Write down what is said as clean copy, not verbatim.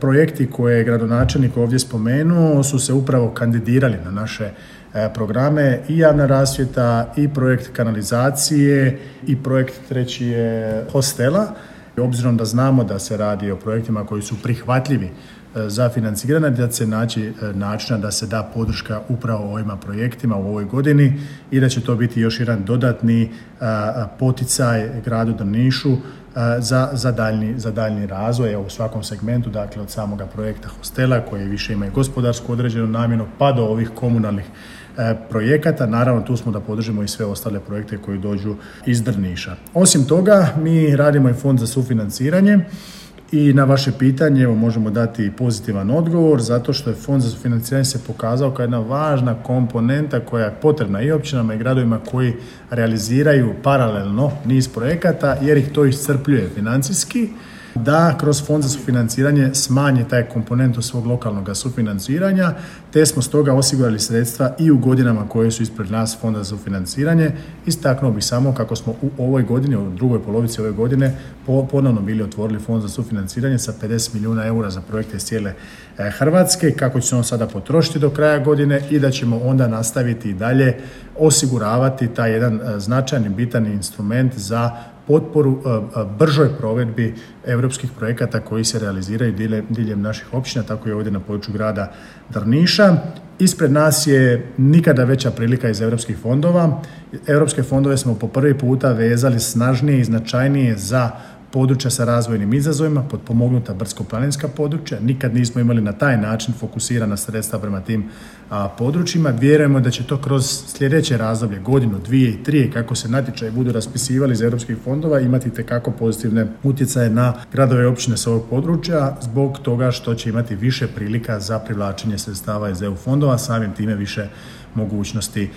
Projekti koje je gradonačelnik ovdje spomenuo su se upravo kandidirali na naše programe i javna rasvjeta i projekt kanalizacije i projekt treći je hostela. Obzirom da znamo da se radi o projektima koji su prihvatljivi za financiranje, da će se naći načina da se da podrška upravo ovima projektima u ovoj godini i da će to biti još jedan dodatni poticaj gradu Drnišu za daljnji razvoj u svakom segmentu, dakle od samoga projekta hostela koji više ima i gospodarsku određenu namjenu pa do ovih komunalnih projekata. Naravno tu smo da podržimo i sve ostale projekte koji dođu iz Drniša. Osim toga mi radimo i fond za sufinanciranje i na vaše pitanje možemo dati pozitivan odgovor zato što je fond za sufinanciranje se pokazao kao jedna važna komponenta koja je potrebna i općinama i gradovima koji realiziraju paralelno niz projekata jer ih to iscrpljuje financijski, da kroz fond za sufinanciranje smanje taj komponentu svog lokalnog sufinanciranja, te smo stoga osigurali sredstva i u godinama koje su ispred nas fonda za sufinanciranje. Istaknuo bih samo kako smo u ovoj godini, u drugoj polovici ove godine, ponovno bili otvorili fond za sufinanciranje sa 50 milijuna eura za projekte iz cijele Hrvatske, kako će se on sada potrošiti do kraja godine i da ćemo onda nastaviti i dalje osiguravati taj jedan značajni, bitan instrument za potporu bržoj provedbi europskih projekata koji se realiziraju diljem naših općina, tako i ovdje na području grada Drniša. Ispred nas je nikada veća prilika iz europskih fondova. Europske fondove smo po prvi puta vezali snažnije i značajnije za područja sa razvojnim izazovima, potpomognuta brdsko-planinska područja. Nikad nismo imali na taj način fokusirana sredstva prema tim područjima. Vjerujemo da će to kroz sljedeće razdoblje, godinu, 2 i 3, kako se natječaji budu raspisivali iz europskih fondova, imati itekako pozitivne utjecaje na gradove i općine s ovog područja, zbog toga što će imati više prilika za privlačenje sredstava iz EU fondova, samim time više mogućnosti